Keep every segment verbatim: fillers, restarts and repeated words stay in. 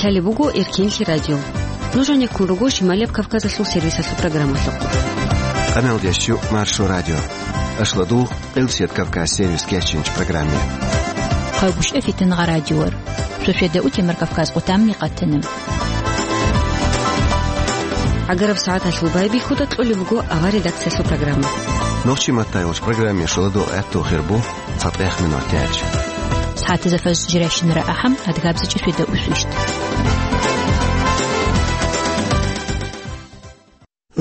Лъалеб буго Эркенлъи радио. Нуж гьанеккун руго Шималияб Кавказалъул сервисалъул программалъухъ. Къамелдеш чу Маршо радио. Ашладул Къилсият Кавказ сервис кечинч программе. Хъагушев Фитнагъа радиор. Шошеда утемар Кавказ къутамни къатана. Агараб сагӀаталъул байбихьуда кьолеб буго авар редакциялъул программа. Нохчи маттайвач программе шоладо гӀатту хирбу. ЦатӀех минут тяч. СагӀатазда фаз жирайщинара ахӀам, адгабзичӀеб шведа усвищт.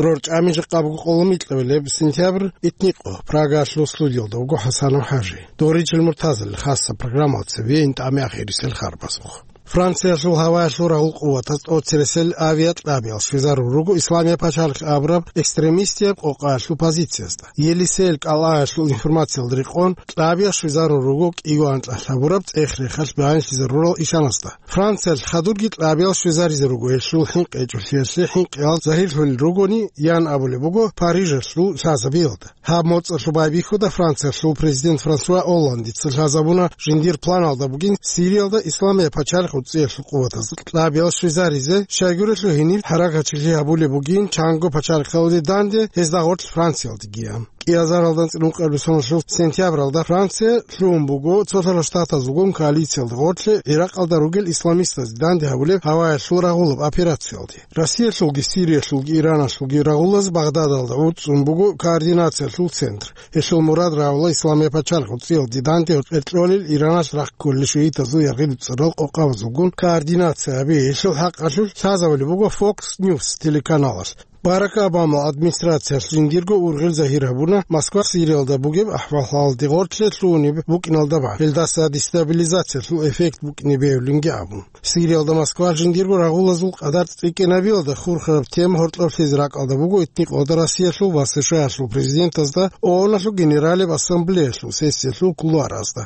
РорчӀами жакъа буго къоло микьабилеб сентябрь, итникъо, Прагалъул студиялда вуго ХӀасанов ХӀажи. Доричил Муртазалил хасса программалда цеве ин тӀами ахирисел харбазухъ. Франциялъул гьаваялъул рагъул къуватаз тӀоцересел авиакьабиял щвезарун руго Исламияб пачалихъ абураб экстремистияб къокъаялъул позициязда. Елисеял кӀалгӀаялъул информациялда рекъон, кьабиялъ щвезарун руго кӀиго анкьалъ гьабураб цӀех-рехалъ баянлъизарурал ишанасда. Франциялъ хадурги кьабиялъ щвезаризе руго гьелъул хӀинкъи гьечӀолъиялъе хӀинкъиялъ загьирлъулел ругони, ян абулеб буго Парижалъул лъазабиялда. Гьаб моцӀалъул байбихьуда Франциялъул президент Франсуа Олландица лъазабуна жиндир планалда бугин Сириялда Исламияб пачалихъ уцӀиялъул къуватаз кьабиялъ щвезаризе, щайгурелъул гьениб хӀаракатчилъи гьабулеб бугин чанго пачалихъалде данде гьезда гъорлъ Франциялдегиян. КӀиазаралда анцӀила ункъабилеб соналъул сентябралда Франция лъугьун буго Цолъарал Штатазулгун коалициялда гъорлъе ГӀиракъалда ругел исламистазде данде гьабулеб гьаваялъул рагъулаб операциялде. Россиялъулги, Сириялъулги, Ираналъулги рагъулаз Багъдадалда гӀуцӀцӀун буго координациялъул центр. Гьелъул мурад рагӀула Исламияб пачалихъ уцӀиялде данде гьоркьор кьолел Ираналъ рахъ кколел шиитазул яргъи-дуцӀарал къокъабазулгун координация гьаби. Гьелъул хӀакъалъулъ лъазабулеб буго Fox News телеканалалъ. Барак Обамал администрациялъ жиндирго ургъел загьир гьабуна Москва Сириялда бугеб ахӀвал-хӀалалде гъорлъе лъугьунеб букӀиналда бан, гьелдаса дестабилизациялъул эффект букӀине бегьулинги абун. Сириялда Москвалъ жиндирго рагъулазул къадар цӀикӀкӀинабиялда хурхараб тема гьоркьоблъизе ракӀалда буго итникъода Россиялъул ва СШАялъул президентазда ООНалъул Генералияб Ассамблеялъул сессиялъул кулуаразда.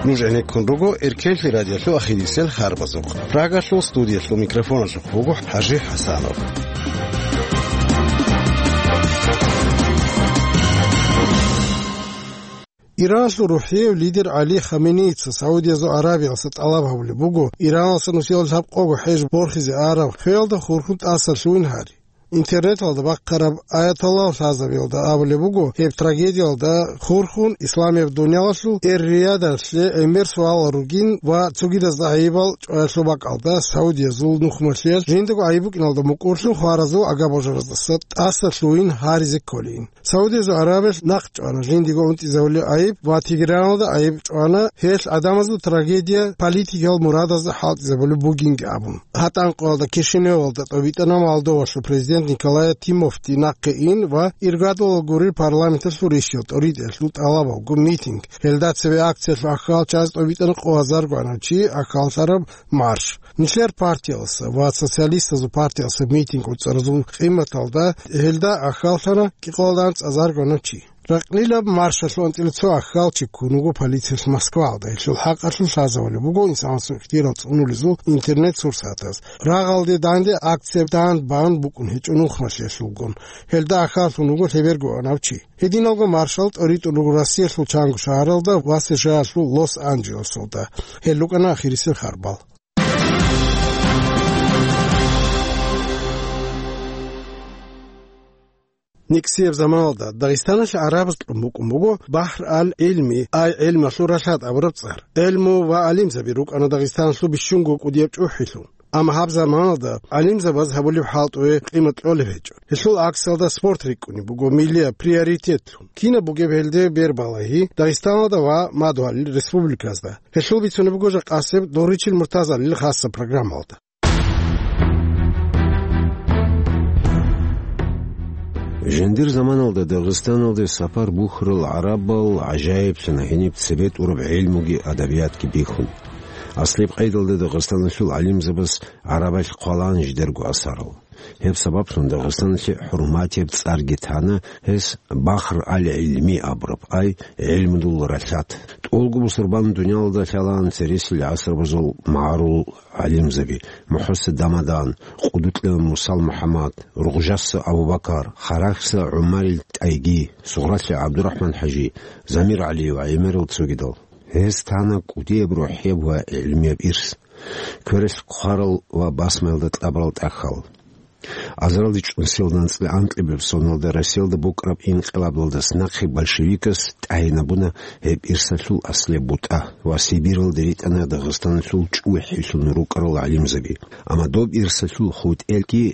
Нуж гӀенеккун руго Эркенлъи радиолъул ахирисел харбазухъ. Прагалъул студиялъул микрофоналъухъ вуго ХӀажи ХӀасанов. Иранлъул рухӀияв лидер ГӀали Хаменеица Саудиязул Аравиялдаса тӀалаб гьабулеб буго, Иранлъаса нусиялда лъабкъого хӀеж борхизе араб хвелда хурхун тӀаса лъугьин гьари. Интернеталда бахъараб аяталлагьу лъазабиялда абулеб буго, гьеб трагедиялда хурхун исламияб дуниялалъул Эр-Риядалъе гӀемер суалал ругин ва цогидазда гӀайибал чӀваялъул бакӀалда Саудиязул нухмалъиялъ жиндаго гӀайиб букӀиналда мукӀурлъун хваразул агабожараздаса тӀаса лъугьин гьаризе кколин. Саудиязул Аравиялъ нахъ чӀвана жиндиго унтӀизавулеб гӀайиб ва Тегераналда гӀайиб чӀвана, гьелъ гӀадамазул трагедия политикиял мурадазда хӀалтӀизабулеб бугинги абун. ГьатӀан къоялда Кишиневалда тӀобитӀана Молдовалъул президент Николая Тимофти нахъе ин ва иргадулал гурел парламенталъул ришиял тӀоритӀиялъул тӀалабалгун митинг. Гьелда цеве акциялъул ахьалчаз тӀобитӀана къо гьазар гванав чи ахьаллъараб марш. Нилъер партиялдаса ва социалистазул партиялдаса митинг гӀуцӀаразул къиматалда гьелда ахьаллъана кӀикъоялда анцӀазаргванав чи. Ракълилаб маршалъул анцӀила цо ахьалчи ккун вуго полициялъ Москваялда. Гьелъул хӀакъалъулъ лъазабулеб буго инсанасул ихтияр цӀунулезул интернет-сурсатаз. Рагъалде данде акция дандбан букӀун гьечӀо нухмалъиялъулгун. Гьелда ахьаллъун вуго лъеберго ванав чи. Гьединалго маршал тӀоритӀун руго Россиялъул чанго шагьаралда ва СШАялъул Лос-Анджелесалда. Гьел рукӀана ахирисел харбал. НекӀсияб заманалда Дагъистаналъе гӀарабаз кьун букӀун буго Бахр ал-ГӀилми, ай гӀилмалъул ралъад абураб цӀар. ГӀилму ва гӀалимзаби рукӀана Дагъистаналъул бищунго кӀудияб чӀухӀилъун. Амма гьаб заманалда гӀалимзабаз гьабулеб хӀалтӀуе къимат кьолеб гьечӀо. Гьелъул аксалда спорт рикӀкӀунеб буго миллияб приоритетлъун. Кинаб бугеб гьелде бербалагьи Дагъистаналда ва мадугьалил республиказда? Гьелъул бицунеб буго жакъасеб Доричил Муртазалил хасса программалда. Жиндир заманалда Дагъистаналде сапар бухьарал гӀарабал гӀажаиблъана гьениб цебе тӀураб гӀилмуги адабиятги бихьун. Аслияб къайдалда Дагъистаналъул гӀалимзабаз гӀарабалъ хъвалаан жидерго асарал. Гьеб сабаблъун Дагъистаналъе хӀурматияб цӀарги тана гьес Бахр ал-ГӀилми абураб, ай гӀилмудул ралъад. Олго бусурбан дуниялалда лъалаан цересел гӀасрабазул магӀарул гӀалимзаби: МухӀсин Дамадан, Къудукьа Мусал МухӀаммад, Ругъжаса Абу-Бакар, Харахьса ГӀумарил ТӀайги, Сугъралъи ГӀабдурахӀман-хӀажи, Замир ГӀалиев ва гӀемерал цогидал. Гьез тана кӀудияб рухӀияб ва гӀилмияб ирс, квералъ хъварал ва басмаялда кьабурал тӀахьал. Азаралде чӀун селда анцӀила анкьабилеб соналда Россиялда букӀараб инкъилабалдаса нахъе большевикас тӀагӀинабуна гьеб ирсалъул аслияб бутӀа ва Сибиралде ритӀана Дагъистаналъул чӀухӀилъун рукӀарал гӀалимзаби. Амма доб ирсалъул хутӀелги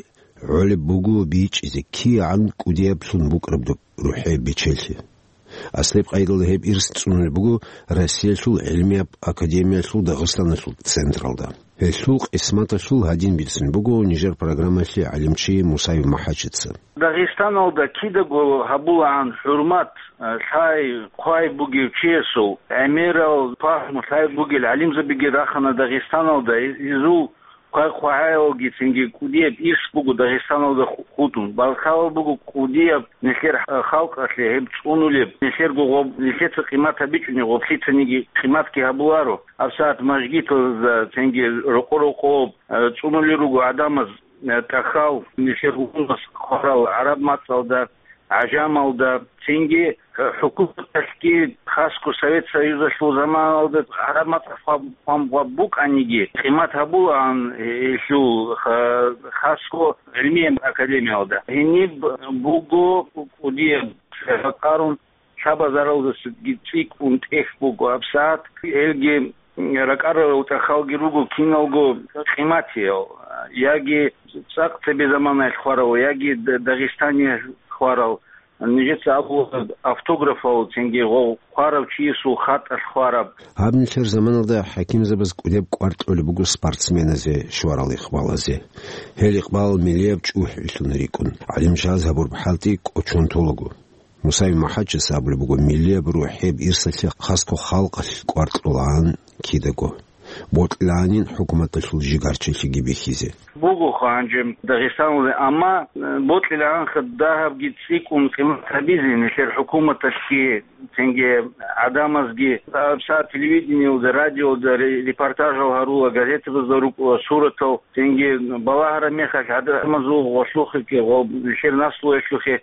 гӀолеб буго бичӀчӀизе кигӀан кӀудияблъун букӀараб доб рухӀияб бечелъи. Аслияб къайдалда гьеб ирс цӀунулеб буго Россиялъул гӀилмияб академиялъул Дагъистаналъул централда. Гьелъул къисматалъул гьадин бицун буго нижер программалъе гӀалимчи Мусаев МахӀачица. Дагъистаналда кидаго гьабулаан хӀурмат, лъай-хъвай бугев чиясул, гӀемерал пагьму лъай бугел гӀалимзабиги рахана Дагъистаналда, изул хъвай-хъвагӀаялги цинги кӀудияб ирс буго Дагъистаналда ху-, хутӀун. Балкалал буго кӀудияб нилъер халкъалъе гьеб цӀунулеб, нилъерго гъоб-, нилъеца къимат гьабичӀони гъоблъицаниги къиматги гьабуларо. ГьабсагӀат мажгиталда цинги рокъо-рокъоб, э, цӀунулел руго гӀадамаз, э, тӀахьал, нилъер гьунас хъварал гӀараб мацӀалда, гӀажамалда, цинги, э, хӀукуматалъги, хасго Совет Союзалъул заманалда гӀараб мацӀалъ хъван-, хъван-, хъван букӀаниги, къимат гьабулаан гьелъул ха-, хасго гӀилмияб академиялда. Гьениб буго кӀудияб ракӀарун, лъабазаралдасаги цӀикӀкӀун тӀехь буго гьабсагӀат. Гьелги ракӀарарал тӀахьалги руго киналго къиматиял, яги цӀакъ цебе заманаялъ хварал, яги Д-, Дагъистаниялъ хварал, нижеца абула автографал, цинги гъо-, хварав чиясул хатӀалъ хвараб. Гьаб нилъер заманалда хӀакимзабаз кӀудеб кӀвар кьолеб буго спортсменазе, шварал икъбалазе. Гьел икъбал миллияб чӀухӀилъун рикӀкӀун, гӀалимчияз гьабураб хӀалтӀи кӀочон толаго. Мусаев МахӀачица абулеб буго миллияб рухӀияб ирсалъе хасго халкъалъ кӀвар кьолаан кидаго, бокьилаанин хӀукуматалъул жигарчилъиги бихьизе. Бугоха гьанже Дагъистаналде, амма, э, бокьилаанха дагьабги цӀикӀкӀун къимат гьабизе нилъер хӀукуматалъги, цинги гӀадамазги. ГьабсагӀат телевидениялда, радиоялда ре-, репортажал гьарула, газетабазда рукӀула суратал, цинги балагьараб мехалъ гӀадамазул гъолъухъеги, гъо-, нилъер наслуялъухъе, э,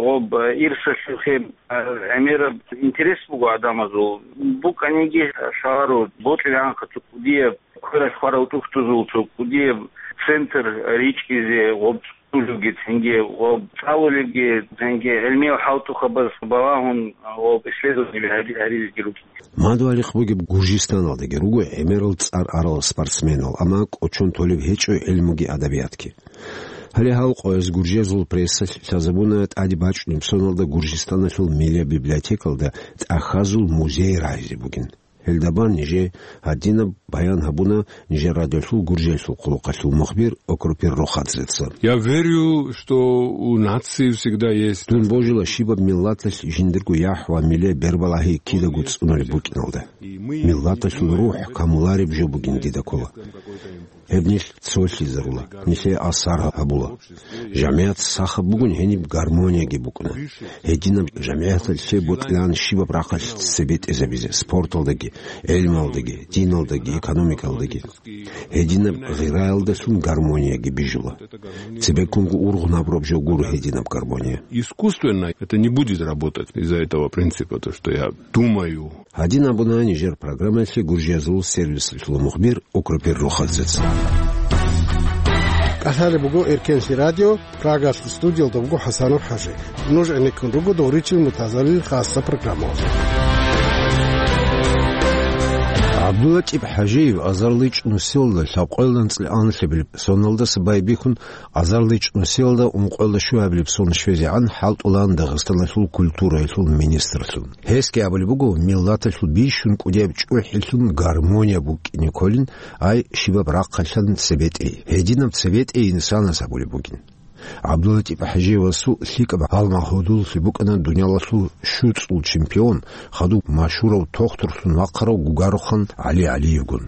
гъоб, э, ирсалъухъе, э, гӀемераб интерес буго гӀадамазул. БукӀаниги лъаларо, бокьилаанха цо кӀудияб, квералъ хварав тӀухьдузул цо кӀудияб центр ричӀчӀизе, гъоб цӀунулевги, цинги гъоб цӀалулевги, цинги гӀилмиял хӀалтӀухъабаз балагьун, гъоб исследование гьари-, гьаризеги рукӀине. Мадугьалихъ бугеб Гуржистаналдаги руго гӀемерал цӀар арал спортсменал, амма кӀочон толеб гьечӀо гӀилмуги адабиятги. Гьале гьал къояз гуржиязул прессалъ лъазабуна тӀаде бачӀунеб соналда Гуржистаналъул миллияб библиотекалда тӀахьазул музей рагӀизе бугин. Гьелда бан нижее гьадинаб баян гьабуна нижер радиолъул Гуржиялъул хъулухъалъул мухбир Окропир Рохадзеца. Я верю, что у нации всегда есть. Дун божила щибаб миллаталъ жиндирго яхӀ ва миллияб бербалагьи кидаго цӀунулеб букӀиналда. Миллаталъул рухӀ камулареб жо бугин дида ккола. Гьеб нилъ цолъизарула, нилъее асар гьабула. ЖамигӀат сахаб бугин гьениб гармонияги букӀуна. Гьединаб жамигӀаталъе бокьилаан щибаб рахъалъ цебетӀезабизе, спорталдаги, гӀелмалдаги, диналдаги, экономикалдаги. Гьединаб гъираялдалъун гармонияги бижула. Цебеккунго ургъун гьабураб жо гуро гьединаб гармония. Искусственно это не будет работать из-за этого принципа, то, что я думаю. Гьадин абуна нижер программаялъе Гуржиязул сервисалъул мухбир Окропир Рохадзеца. КӀалъалеб буго Эркенлъи радио, Прагалъ студиялда буго ХӀасанов ХӀажи. Нуж гӀенеккун руго дов ричил мутазалил хасса программаялъ. ГӀабдуллатӀиб ХӀажиев азарличӀ нусиялда лъабкъоялда анцӀила анлъабилеб соналдаса байбихьун, азарличӀ нусиялда ункъоялда щуабилеб сон щвезегӀан хӀалтӀулаан Дагъистаналъул культураялъул министрлъун. Гьесги абулеб буго, миллаталъул бищун кӀудияб чӀухӀилъун гармония букӀине кколин, ай щибаб рахъалъан цебетӀей. Гьединаб цебетӀей инсанас абулеб бугин. ГӀабдуллатӀиб ХӀажиевасул лъикӀаб гьалмагъ гьудуллъи букӀана дуниялалъул щуцӀул чемпион, хадуб машгьурав тохтурлъун вахъарав Гугарухан ГӀали ГӀалиевгун.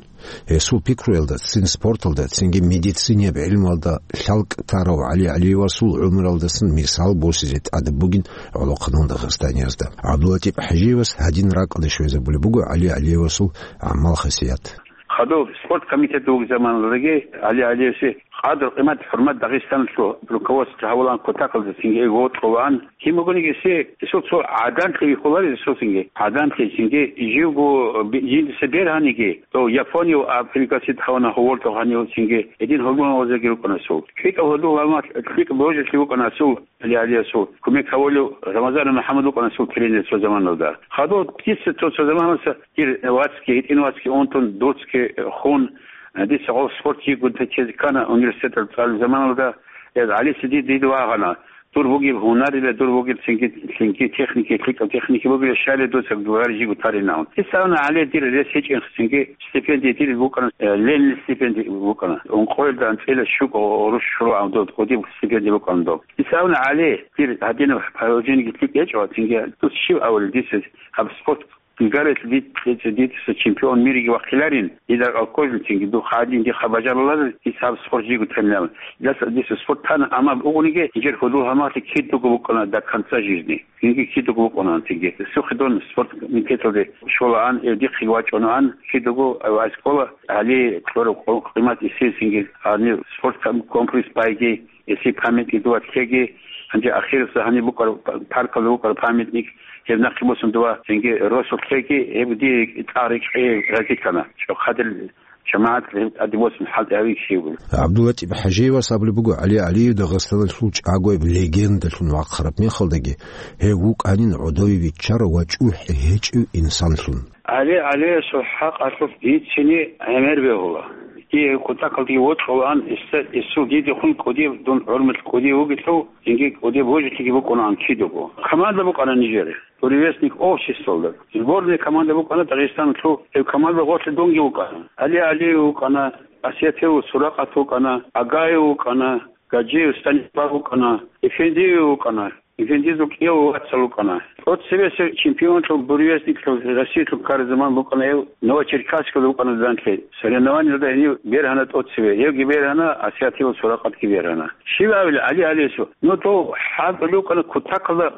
Гьесул пикруялда цин спорталда, цинги медицинияб гӀилмуялда лъалкӀ тарав ГӀали ГӀалиевасул гӀумралдасан мисал босизе тӀадаб бугин гӀолохъанал дагъистаниязда. ГӀабдулатӀиб ХӀажиевас гьадин ракӀалде щвезабулеб буго ГӀали ГӀалиевасул гӀамал-хасият. Хадуб спорт комитет вугеб заманалдаги ГӀали ГӀалиевасе къадр-къимат-хӀурмат Дагъистаналъул руководство гьавулан кутакалда цинги вокьулаан. Кин бугониги эсе, эсул цо гӀаданлъи вихьуларел эсул цинги. ГӀаданлъи цинги живго би-, жиндаса бергьаниги, дов Японияв пригласить гьавана гьоволтав гьанив цинги. Гьедин гьудул-гьалмагъазеги рукӀана эсул. ЛъикӀаб гьудул-гьалмагъ, лъикӀаб божалъи вукӀана эсул. ГӀали ГӀалиевасул кумек гьавулев Рамазанов МухӀаммад вукӀана эсул тренер цо заманалда. Хадуб дица цо, цо заманалъа дир вацги, гьитӀин вацги унтун, дуцги хун, дица гъов спорт жийгун течез ккана университеталда цӀалул заманалда. Гьез ГӀалица дид, дид вагъана. Дур бугеб гьунарила, дур бугеб цинги, цинги техники, лъикӀаб техники бугила, щайила дуца гваржи гутаринавун. Дица абуна, ГӀали, дир рес гьечӀин цинги, стипендия дир букӀана, э, Ленин стипендия букӀана. Ункъоялда анцӀила щуго гъурущ щулагӀан доб, кӀудиб стипендия букӀана доб. Дица абуна, ГӀали, дир гьадинаб положениеги лъикӀ гьечӀо, цинги дус щив авали дица гьаб спорт Гьелъ дид-, дица чемпион мириги вахъиларин, дида алкожин цинги, духъ гьадин дихъа бажаруларел, дица гьаб спорт жиго тенилан. Дица, дица спорт тана, амма бугониги, нижер гьудул-гьалмагълъи кидаго букӀана до конца жизни. Цинги кидаго букӀана цинги. Сухидон спорт комитеталде щолаан, э, дихъе вачӀунаан, кидаго вайскола, гьали кьураб къо-, къимат эсил цинги, гьанив спорт ком-, комплекс байги, Эсил памятник дова лъеги, гьанже ахиралъа гьаниб букӀар, паркалда букӀар памятник, гьеб нахъе босун дова цинги росулъ лъеги, гьеб дие цӀар рикӀкӀей разилъана. ЧӀохъадил жамагӀат гьеб тӀаде босун хӀалтӀи гьавичи гьев. ГӀабдулатӀиб ХӀажиевас абулеб буго, ГӀали ГӀалиев Дагъистаналъул чӀагояб легендалъун вахъараб мехалдаги, гьев вукӀанин гӀодове виччарав ва чӀухӀи гьечӀев инсанлъун. ГӀали ГӀалиевасул хӀакъалъулъ дицине гӀемер бегьула. Дие кутакалдеги вокьулаан, эсул дидехун кӀудияб, дун гӀурмулъ кӀудияв вугелъул, цинги кӀудияб божалъиги букӀунаан кидаго. Команда букӀана нижер, «Буревестник» обществалда. Сборная команда букӀана Дагъистаналъул, гьеб команда гъорлъ дунги вукӀана. ГӀали ГӀалиев вукӀана, Асиятов Суракъат вукӀана, Агаев вукӀана, Гаджиев Станислав вукӀана, Эфендиев вукӀана. Эфендизул кӀияв вацал вукӀана. ТӀоцебесеб чемпионлъун, буревестниклъун, Россиялъун ккараб заман букӀана гьев, Новочеркасскалда вукӀана данлъи. Соревнованиялда гьенив бергьана тӀоцебе. Гьевги бергьана, Асиятилан Суракъатги бергьана. Щив абила, ГӀали ГӀалиевасул? Ну, дов хӀалтӀулев вукӀана кутакалда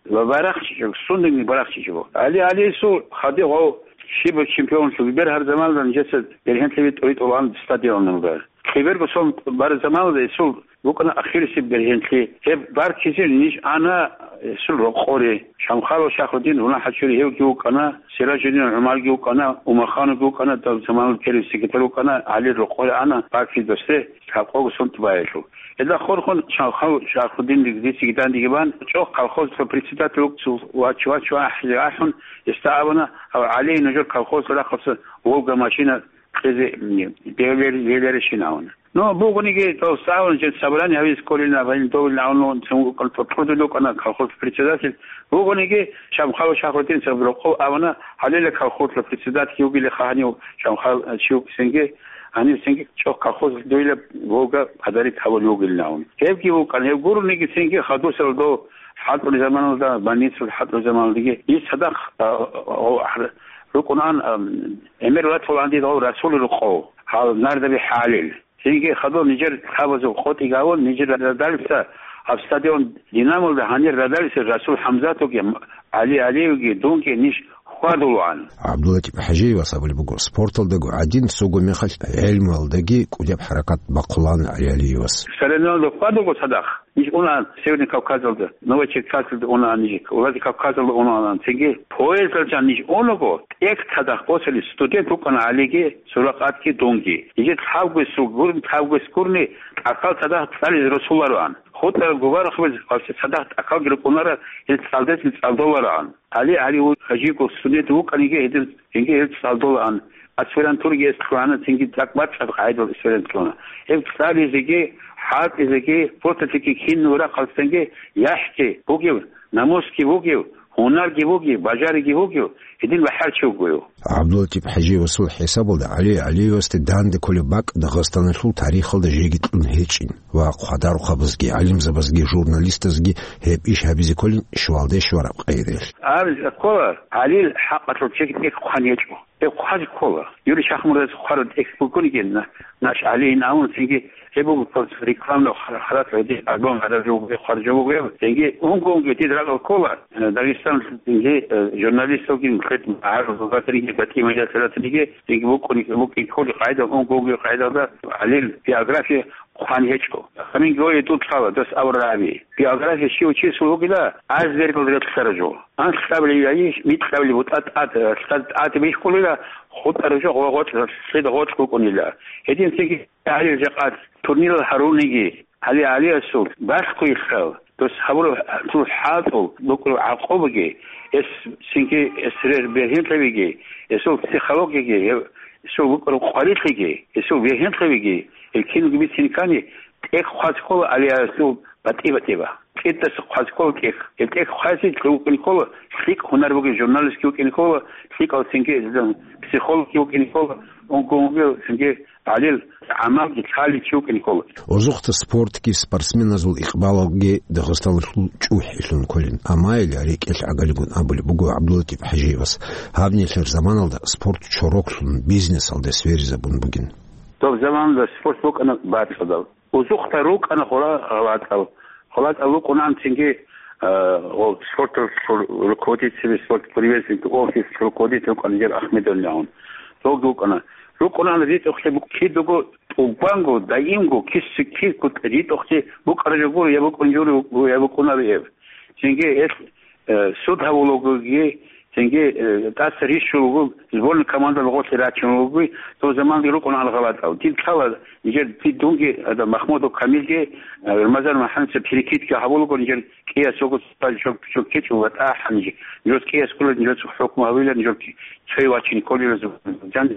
ва барахчичӀев, сундагьни барахчичӀев. ГӀали ГӀалиевасул хадуб гъов щибаб чемпионлъун бергьараб заманалда нижеца бергьенлъи тӀоритӀулаан стадионалда. Киберго сон бараб заманалда гьесул букӀана ахирисеб бергьенлъи. Гьеб баркизе ниж ана гьесул рокъоре. Шамхалов Шахрудин, Гьунал ХӀачури гьевги вукӀана, Сиражудин ГӀумарги вукӀана, Умахановги вукӀана, дав заманалъ первый секретарь вукӀана, ГӀалил рокъоре ана баркизе досде лъабкъого сон тӀубаялъул. Гьелда хорхун Шамхалов Шахрудин дициги дандеги бан, чӀохъ колхозалъул председатель вугев вач-, вач-, вахӀизе ахӀун, гьесда абуна, гьав ГӀали нужер колхозалъул рахъалъа «Волга» машина кьезе, м, бегьулел-, гьеларищин абун. Ну, бугониги, дов сагӀун жин собрание гьавизе кколин абун, довилин абун, цун вукӀана, кьудулев вукӀана колхоз председатель. Бугониги, Шамхалов Шахрудин цо рокъов абуна, гьалила колхозалъул председатель вугилаха гьанив Шамхал, а, чи вукӀинги, гьанив цинги чӀохъ колхозалъ дуйла «Волга» подарить гьавулев вугилин абун. Гьебги вукӀана, гьеб гурониги цинги хадусел дов хӀалтӀулеб заманалда, больницалда хӀалтӀулеб заманалдаги, ил цадахъ, а, а, а, рукӀунаан, а, гӀемер ватулаан дида гъов Расул рокъов, гьал Нардаби ХӀалил. Цинги хадуб нижер лъабазул къотӀи гьавун, нижер радалиса гьаб стадион «Динамолда» гьанир радалиса Расул ХӀамзатовги, ГӀали ГӀалиевги, дунги ниж хьвадулаан. ГӀабдулатӀиб ХӀажиевас абулеб буго, спорталдаго гӀадин, цого мехалъ гӀелмуялдаги кӀудияб хӀаракат бахъулаан ГӀали ГӀалиевас. Соревнованиялда хьвадулго цадахъ. Ниж унаан Северный Кавказалда, Новочеркассалда унаан ниж, Владикавказалда унаан, цинги поездалда ниж унаго, тӀехь цадахъ босулеб студент вукӀана ГӀалиги, Суракъатги, дунги. Нижер лъабгоясул гурн-, лъабгояс гурни тӀахьал цадахъ цӀализе росулароан. ХутӀараб губараб хабиз гьабсагӀат цадахъ тӀахьалги рукӀунарал, гьел цӀалдезги цӀалдолароан. ГӀали, ГӀали ву-, гьажиго студент вукӀаниги, гьедин, цинги гьел цӀалдолаан. Аспирантураги эс лъугьана, цинги цӀакъ бацӀцӀад къагӀидал аспирант лъугьана. Гьеб цӀализеги, хӀалтӀизеги, фотолъиги, кино рахъалцинги яхӀги бугев, намусги бугев, гьунарги бугев, бажариги бугев, гьедин бахӀарчи вугев. ГӀабдулатӀиб ХӀажиевасул хӀисабалда, ГӀали ГӀалиевасде данде кколеб бакӀ Дагъистаналъул тарихалда жеги кьун гьечӀин ва хъвадарухъабазги, гӀалимзабазги, журналистазги гьеб иш гьабизе кколин щвалде щвараб къайдаялъ. Гьаб ккола, ГӀалил хӀакъалъулъ чеги тӀехь хъван гьечӀо. Гьеб хъвазе ккола. Юрий Шахмурадовас хъвараб текст букӀунигин, на-, наш гӀалиин абун, цинги гьеб буго просто рекламный хъа-, харат гьедин альбом гьарарав вуго, хъваржав вуго гьеб. Цинги унго-унго дида ракӀалда ккола, э, Дагъистаналъул цинги, э, журналисталги, мухӀкъед гьарулгатариги, батӀи-майдалъ ратариги, цинги букӀуни-, букӀин кколи къайдал, унго-унго къайдалда гӀалил биография хъван гьечӀо. Гьанинги гьое тӀуд лъала, дос авраби. Биография щив чиясул вугила, айсбергал релълъарав жо. Анлъабилеб яги микьабилеб бутӀа тӀад, лъад тӀад бихьулила, хутӀарав жо гъо-, гъоркь, лъида гъоркь букӀунила. Гьединлъиги гьарил жакъа турнирал гьаруниги, гьали гьалиясул балъгойилъал, дос гьабураб цо хӀалтӀул букӀураб гӀакъубаги, эс цинги эс рер бергьенлъабиги, эсул психологиги, эсул букӀураб къварилъиги, эсул бергьенлъабиги, гьел киналги бицин ккани, тӀехь хъвазе ккола гьалиясул батӀи-батӀиба. КӀидаца хъвазе ккола тӀехь. Гьеб тӀехь хъвазе ккола, лъикӀ гьунар бугеб журналистги вукӀине ккола, лъикӀал цинги психологги вукӀине ккола, унго-унго цинги гӀалил гӀамалги лъалев чи вукӀине ккола. Озухъда спортги спортсменазул икъбалалги Дагъистаналъул чӀухӀи лъун кколин. Амма гьел рекӀелъ гӀагалигун абулеб буго ГӀабдуллатӀиб ХӀажиевас, гьаб нилъер заманалда спорт чороклъун бизнесалде сверизабун бугин. Доб заманалда спорт букӀана бацӀцӀадаб. Узухъда рукӀана хъула гъалатӀал. ХъулатӀа вукӀунаан цинги, а, гъо-, спорталъул руководитель, спорт привезли офис руководитель вукӀана Нижер Ахмедовна гьун. Цоги вукӀана. РукӀунаан ритӀухълъи бу-, кидаго тӀубанго, даимго, киси-, киркут ритӀухълъи букӀараб жо гуро, я букӀун журо, я букӀунаро гьеб. Цинги гьелъ, э, суд гьавулагоги, цинги, э, тӀаса рищулаго, сборный командалъ гъорлъе рачуналагоги, дов заманги рукӀунаан гъалатӀал. Дир лъала, нижер, дир дунги, ада, Махмудов Камилги, э, Рамазан МухӀаммадовича перекидка гьавулаго, нижер кӀияс гьуго цо, цо кечӀо ва тӀахӀан нижер. Нижер кӀияс ккола, нижер хӀукму гьавила, нижер цояв вачин кколила, жан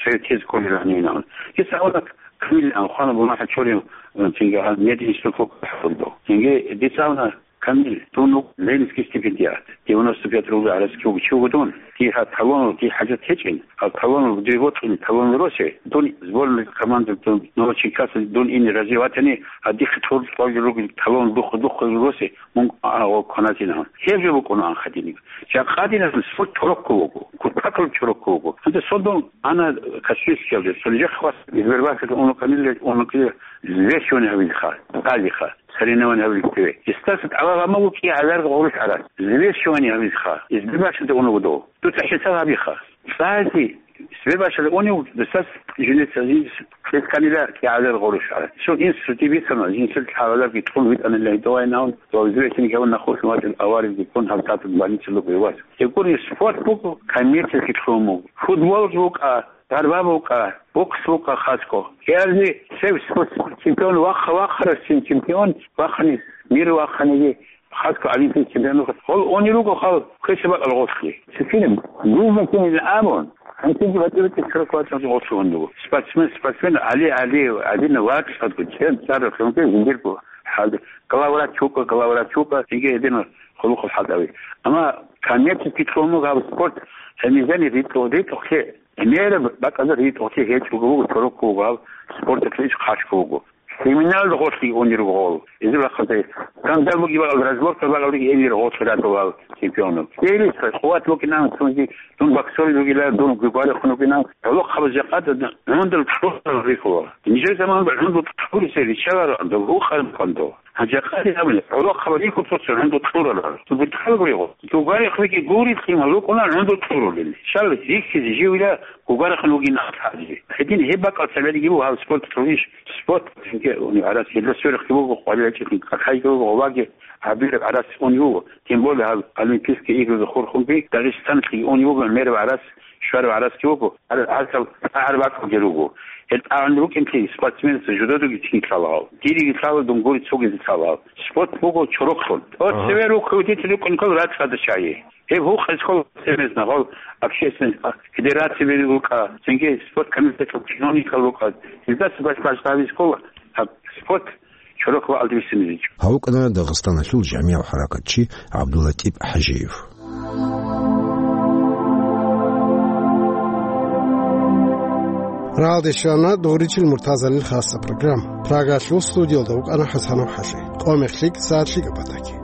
цояв тез кколила гьанивин. Дица гьавуна Камил, а, хвана буна гьачорин, э, цинги гьал мединститут вукӀараб хӀакъалда. Цинги дица гьавуна Камил, дун вуго Ленинский стипендиат. Девяносто пять рублей гӀарац чугу, чугу дун. Дир гьаб талонал, дир хӀажат гьечӀин. Гьаб талонал, дир бокьин, талонал росе. Дун сборный команда, дун Новочеркасск дун ине рази ватани, гьадихъе тӀур-, тӀур ругел талон духъ-, духъ росе. Мун, а, о, кваназинан. Гьеб жо букӀунаан хадиниб. Жакъадинаб спорт чорокко вуго, кутакал чорокко вуго. Гьанже содун ана Каспийскиялде, цо нижехъ вас Сбербанкалде унукъанилла, унукъи взвешивание гьавилха, гьалиха, соревнование гьавилхъе. Дистаса тӀалаб гьаб буго кӀигӀазар гъурущ гӀарац. Взвешивание гьавилха. Сбербанкалде унуго дов. Дуца хӀисаб гьабиха. Цаги Сбербанкалде унев, дистас жинеца жинец кьелканила кӀигӀазар гъурущ гӀарац. Цо инструкци бицана, жинцер лъагӀаларги тун витӀанила гьитӀавайнаун, ва взвешивание гьавун нахъвуссун вачӀун аваризги ккун гьаб тӀатӀун больницалъ вукӀуй вас. Гьеб гури спорт буго, коммерческий лъун буго. Футболги букӀа, дарба букӀа, бокс букӀа хасго. Гьарли цев спорт чемпион вахъа-вахъарасцин чемпион вахъани, мир вахъаниги, хасго олимпийский чемпион вахъа. Гъол они руго хал квеша бакӀал гъорлъи. Цинги нужно кинил абун, гьанкинги батӀи-батӀи чурак вачӀан гъорлъугьун руго. Спортсмен, спортсмен, али, али, алина вачӀ, хадго, чем, цара, хунги, зиндирго. Хал, главврач вукӀа, главврач вукӀа, цинги гьедина хъулухъул хӀалтӀави. Амма коммерческий лъун буго гьаб спорт, гьанизани ритӀу-, ритӀухълъи, мераб бакӀазда ритӀухълъи гьечӀого вуго, чорокко вуго гьаб спорталъе иш хъачго вуго. Криминалда гъорлъи унел руго гъол. Изер рахъалде скандал буги бакӀал, разборка бакӀал буги, гьенир гъорлъи радулал чемпионов. Кьелиса къуват букӀинан, цунги дун боксер вугила, дун гугварихъун вугинан, гӀолохъабаз жакъа гӀундул кьурал рихула. Нижер заман гӀундул кьурисе ричалара, дов гьукъан квандо. Гьанже къади гьабуни, гӀолохъаб рихьулъуса гӀундул кьурала. Цо бутӀрал гуригъу. Цо гварихъ веги гури, лъимал рукъуна гӀундул кьурулел. Шал рихьизе живила гугарихъун вугин ахӀази. Гьедин гьеб бакӀал цебеги буго гьаб спорт кьурищ, спорт, цинги, уни гӀарац, гьелда сверухъги буго, къварилачӀухъи какайги буго, гъоваги гьабилеб гӀарац уни буго. Тем более гьаб Олимпийские игры хурхунги Дагъистаналъги уни буго, мераб гӀарац, щвараб гӀарацги буго, гьар-, гьаркьал тӀагӀар бакӀалги руго. Гьел тӀагӀун рукӀинлъи спортсменца жудодуги цинги лъала гьав. Дириги лъала, дунгури цогизе лъала гьав. Спорт буго чорохлъун. Ага. Цеве рухъ рукӀин ккол рацӀцӀада чагӀи. Гьеб гьукъ ккол серьезно гьал общественный федерацияби рукӀа, цинги спорт комитетал чиновникал рукӀа. Гьелдаса баш-, баш-, башлагьиз ккола гьаб спорт чорохлъун алдабисиниличӀо. Гьав вукӀана Дагъистаналъул жамигӀ-хӀаракатчи ГӀабдуллатӀиб ХӀажиев. Рагьалде щвана Дугъричил Муртазалил хасаб программа. Прагалъул студиялда вукӀана ХӀасанов ХӀалхӀи. Къо-мех лъикӀ, сагӀат лъикӀаб батаги.